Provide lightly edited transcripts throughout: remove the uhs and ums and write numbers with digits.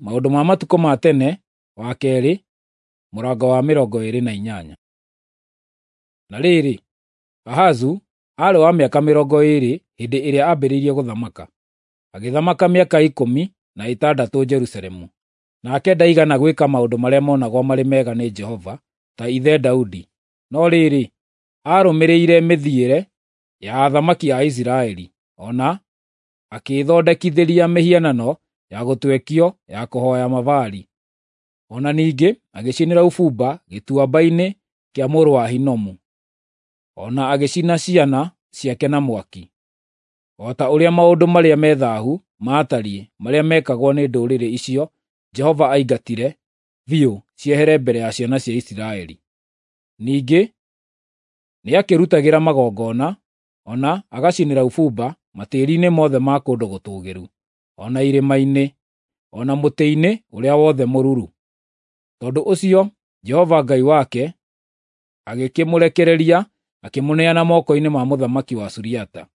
Maũndũ ma Matukũ ma Tene wa kerĩ, mũrango wa 28. Na rĩrĩ, Ahazu aarĩ wa mĩaka 20 hĩndĩ ĩrĩa aambĩrĩirie gũthamaka, agĩthamaka mĩaka 16 Jerusalemu. Nake ndaigana gwĩka maũndũ marĩa monagwo marĩ mega nĩ Jehova ta ithe Daudi, no rĩrĩ, aarũmĩrĩire mĩthiĩre ya athamaki a Isiraeli, o na akĩĩthondekithĩria mĩhianano ya gũtwekio ya kũhooya Mabaali. O na ningĩ agĩcinĩra ũbumba gĩtuamba-inĩ kĩa mũrũ wa Hinomu, o na agĩcina ciana ciake na mwaki, o ta ũrĩa maũndũ marĩa me thaahu maatariĩ marĩa meekagwo nĩ ndũrĩrĩ icio Jehova aingatire biũ ciehere mbere ya ciana cia Isiraeli. Ningĩ nĩakĩrutagĩra magongona, o na agacinĩra ũbumba matĩĩri-inĩ mothe ma kũndũ gũtũũgĩru, o na irĩma-inĩ, o na mũtĩ-inĩ ũrĩa wothe mũruru. Tondũ ũcio Jehova Ngai wake agĩkĩmũrekereria akĩmũneana moko-inĩ ma mũthamaki wa Suriata.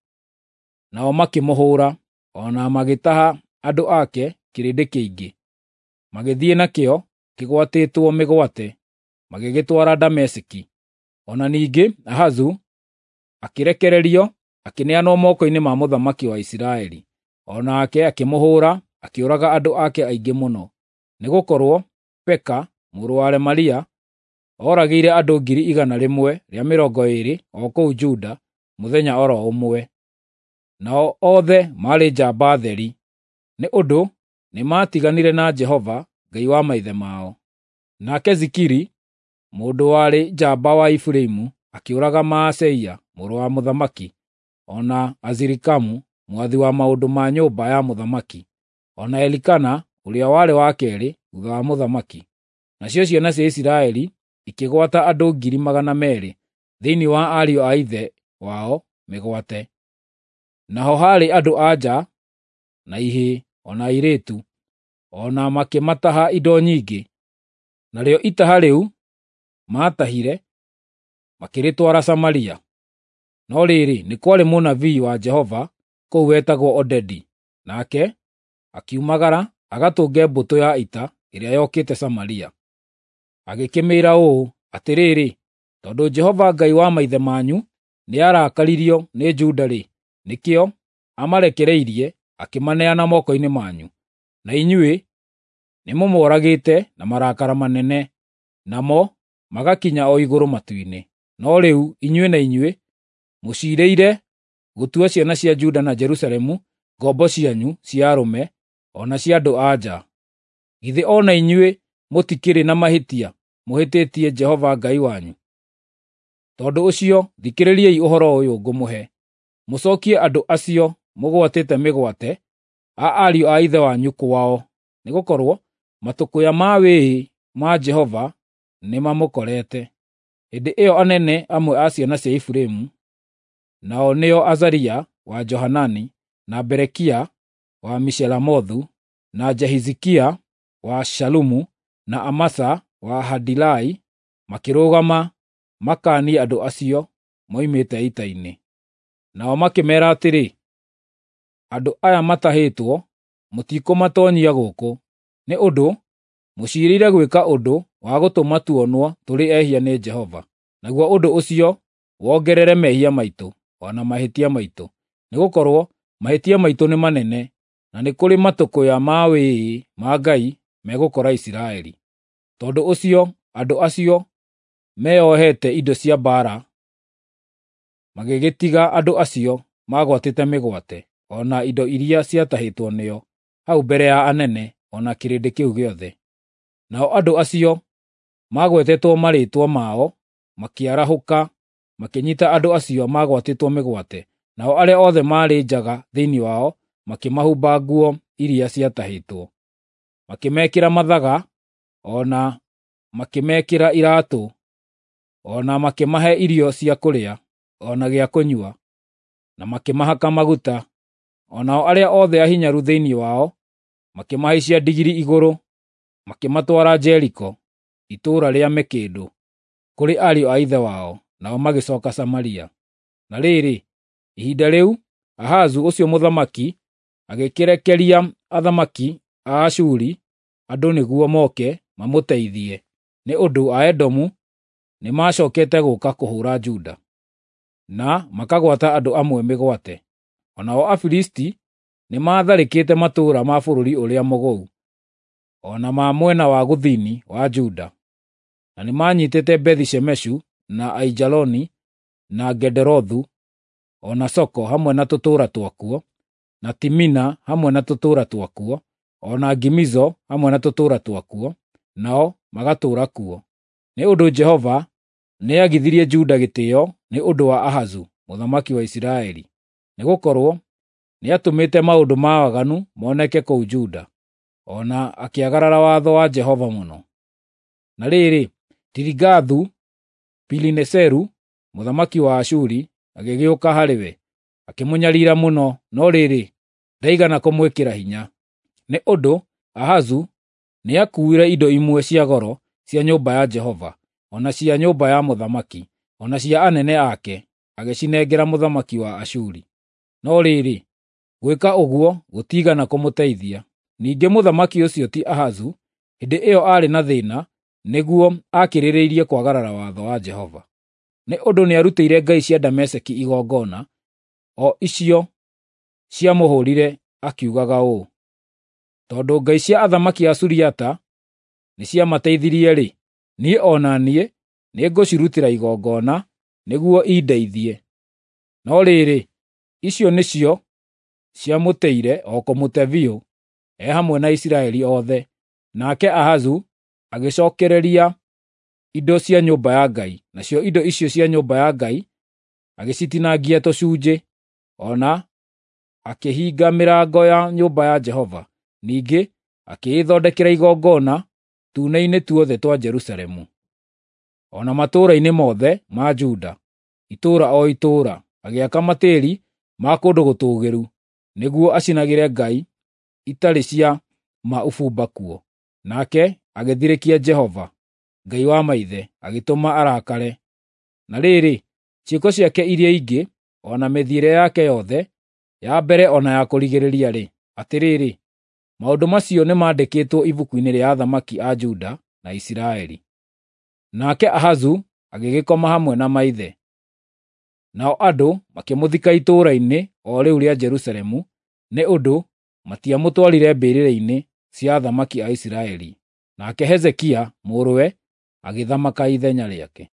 Nao makĩmũhũũra, o na magĩtaha andũ ake kĩrĩndĩ kĩingĩ, magĩthiĩ nakĩo kĩgwatĩtwo mĩgwate, magĩgĩtwara Dameski. O na ningĩ Ahazu akĩrekererio akĩneanwo moko-inĩ ma mũthamaki wa Isiraeli. O nake akĩmũhũũra, akĩũraga andũ ake aingĩ mũno, nĩgũkorwo Peka mũrũ wa Remalia ooragĩire andũ 120,000 o kũu Juda mũthenya o ro ũmwe. Nao othe maarĩ njamba theri, nĩ ũndũ nĩmatiganire na Jehova Ngai wa maithe mao. Nake Zikiri, mũndũ warĩ njamba wa Efiraimu, akĩũraga Maaseia mũrũ wa mũthamaki, o na Azirikamu mwathi wa maũndũ ma nyũmba ya mũthamaki, o na Elikana ũrĩa warĩ wa keerĩ thuutha wa mũthamaki. Nacio ciana cia Isiraeli ikĩgwata andũ 200,000 thĩinĩ wa ariũ a ithe wao mĩgwate. Naho haarĩ andũ-a-nja na ihĩĩ o na airĩtu, o na makĩmataha indo nyingĩ. Narĩo itaha rĩu maatahire makĩrĩtwara Samaria. No rĩrĩ, nĩ kwarĩ mũnabii wa Jehova kũu wetagwo Odedi, nake akiumagara agatũnge mbũtũ ya ita ĩrĩa yokĩte Samaria. Agĩkĩmĩĩra ũũ, “Atĩrĩrĩ, tondũ Jehova Ngai wa maithe manyu nĩarakaririo nĩ Juda-rĩ, nĩkĩo amarekereirie akĩmaneana moko-inĩ manyu. Na inyuĩ nĩmũmoragĩte na marakara manene, namo magakinya o igũrũ matu-inĩ. No rĩu inyuĩ na inyuĩ mũciirĩire gũtua ciana cia Juda na Jerusalemu ngombo cianyu cia arũme o na cia andũ-a-nja. Githĩ o na inyuĩ mũtikĩrĩ na mahĩtia mũhĩtĩtie Jehova Ngai wanyu? Tondũ ũcio thikĩrĩriai ũhoro ũyũ ngũmũhe: Mũcookie andũ acio mũgwatĩte mĩgwate a ariũ a ithe wanyu kwao, nĩgũkorwo matũkũya ma wĩĩ ma Jehova nĩmamũkorete.” Hĩndĩ ĩyo anene amwe a ciana cia Efiraimu, nao nĩo Azaria wa Johanani, na Berekia wa Meshilemothu, na Jehizikia wa Shalumu, na Amasa wa Hadilai, makĩrũgama makaanie andũ acio moimĩte ita-inĩ. Nao makĩmeera atĩrĩ, “Andũ aya matahĩtwo mũtikũmatoonyia gũkũ, nĩ ũndũ mũciirĩire gwĩka ũndũ wa gũtũma tuonwo tũrĩ ehia nĩ Jehova, naguo ũndũ ũcio wongerere mehia maitũ, o na mahĩtia maitũ. Nĩgũkorwo mahĩtia maitũ nĩ manene, na nĩ kũrĩ matũkũya ma wĩĩ ma Ngai megũkora Isiraeli.” Tondũ ũcio andũ acio meeohete indo cia mbaara magĩgĩtiga andũ acio maagwatĩte mĩgwate, o na indo iria ciatahĩtwo nĩo, hau mbere ya anene o na kĩrĩndĩ kĩu gĩothe. Nao andũ acio maagwetetwo marĩĩtwa mao makĩarahũka makĩnyiita andũ acio maagwatĩtwo mĩgwate, nao arĩa othe maarĩ njaga thĩinĩ wao makĩmahumba nguo iria ciatahĩtwo, makĩmekĩra mathaga o na makĩmekĩra iraatũ, o na makĩmahe irio cia kũrĩa o na gĩa kũnyua, na makĩmahaka maguta. O nao arĩa othe ahinyaru thĩinĩ wao makĩmahaicia ndigiri igũrũ, makĩmatwara Jeriko, itũũra rĩa mĩkĩndũ, kũrĩ ariũ a ithe wao, nao magĩcooka Samaria. Na rĩrĩ, ihinda rĩu Ahazu ũcio mũthamaki agĩkĩrekeria athamaki a Ashuri andũ nĩguo moke mamũteithie, nĩ ũndũ Aedomu nĩmacookete gũũka kũhũũra Juda, na makagwata andũ amwe mĩgwate. O nao Afilisti nĩmatharĩkĩte matũũra ma bũrũri ũrĩa mũgũu, o na ma mwena wa gũthini wa Juda, na nĩmanyiitĩte Bethi-Shemeshu, na Aijaloni, na Gederothu, o na Soko hamwe na tũtũũra twakuo, na Timina hamwe na tũtũũra twakuo, o na Gimizo hamwe na tũtũũra twakuo, nao magatũũra kuo. Nĩ ũndũ Jehova nĩagithirie Juda gĩtĩĩo nĩ ũndũ wa Ahazu mũthamaki wa Isiraeli, nĩgũkorwo nĩatũmĩte maũndũ ma waganu moneke kũu Juda, o na akĩagarara watho wa Jehova mũno. Na rĩrĩ, Tiligathu-Pilineseru mũthamaki wa Ashuri agĩgĩũka harĩ we, akĩmũnyariira mũno, no rĩrĩ, ndaigana kũmwĩkĩra hinya. Nĩ ũndũ Ahazu nĩakuuire indo imwe cia goro cia nyũmba ya Jehova, o na cia nyũmba ya mũthamaki, o na cia anene ake, agĩcinengera mũthamaki wa Ashuri. No rĩrĩ, gwĩka ũguo gũtiigana kũmũteithia. Ningĩ mũthamaki ũcio ti Ahazu, hĩndĩ ĩyo aarĩ na thĩĩna, nĩguo akĩrĩrĩirie kwagarara watho wa Jehova. Nĩ ũndũ nĩarutĩire ngai cia Dameski igongona, o icio ciamũhũũrire akiugaga ũũ, “Tondũ ngai cia athamaki a Suriata nĩciamateithirie-rĩ, niĩ o na niĩ nĩngũcirutĩra igongona nĩguo indeithie.” No rĩrĩ, icio nĩcio ciamũteire o kũmũte biũ, e hamwe na Isiraeli othe. Nake Ahazu agĩcookereria indo cia nyũmba ya Ngai, nacio indo icio cia nyũmba ya Ngai agĩcitinangia tũcunjĩ, o na akĩhinga mĩrango ya nyũmba ya Jehova. Ningĩ akĩĩthondekera igongona tuune-inĩ tuothe twa Jerusalemu, o na matũũra-inĩ mothe ma Juda, itũũra o itũũra, agĩaka matĩĩri ma kũndũ gũtũũgĩru nĩguo acinagĩre ngai itarĩ cia ma ũbumba kuo. Nake agĩthirĩkia Jehova, Ngai wa maithe, agĩtũma arakare. Na rĩrĩ, ciĩko ciake iria ingĩ, o na mĩthiĩre yake yothe, ya mbere o na ya kũrigĩrĩria-rĩ, atĩrĩrĩ, maũndũ macio nĩmandĩkĩtwo ibuku-inĩ rĩa athamaki a Juda na Isiraeli. Nake Ahazu agĩgĩkoma hamwe na maithe. Nao andũ makĩmũthika itũũra-inĩ o rĩu rĩa Jerusalemu, nĩ ũndũ matiamũtwarire mbĩrĩra-inĩ cia athamaki a Isiraeli. Nake Hezekia mũrũwe agĩthamaka ithenya rĩake.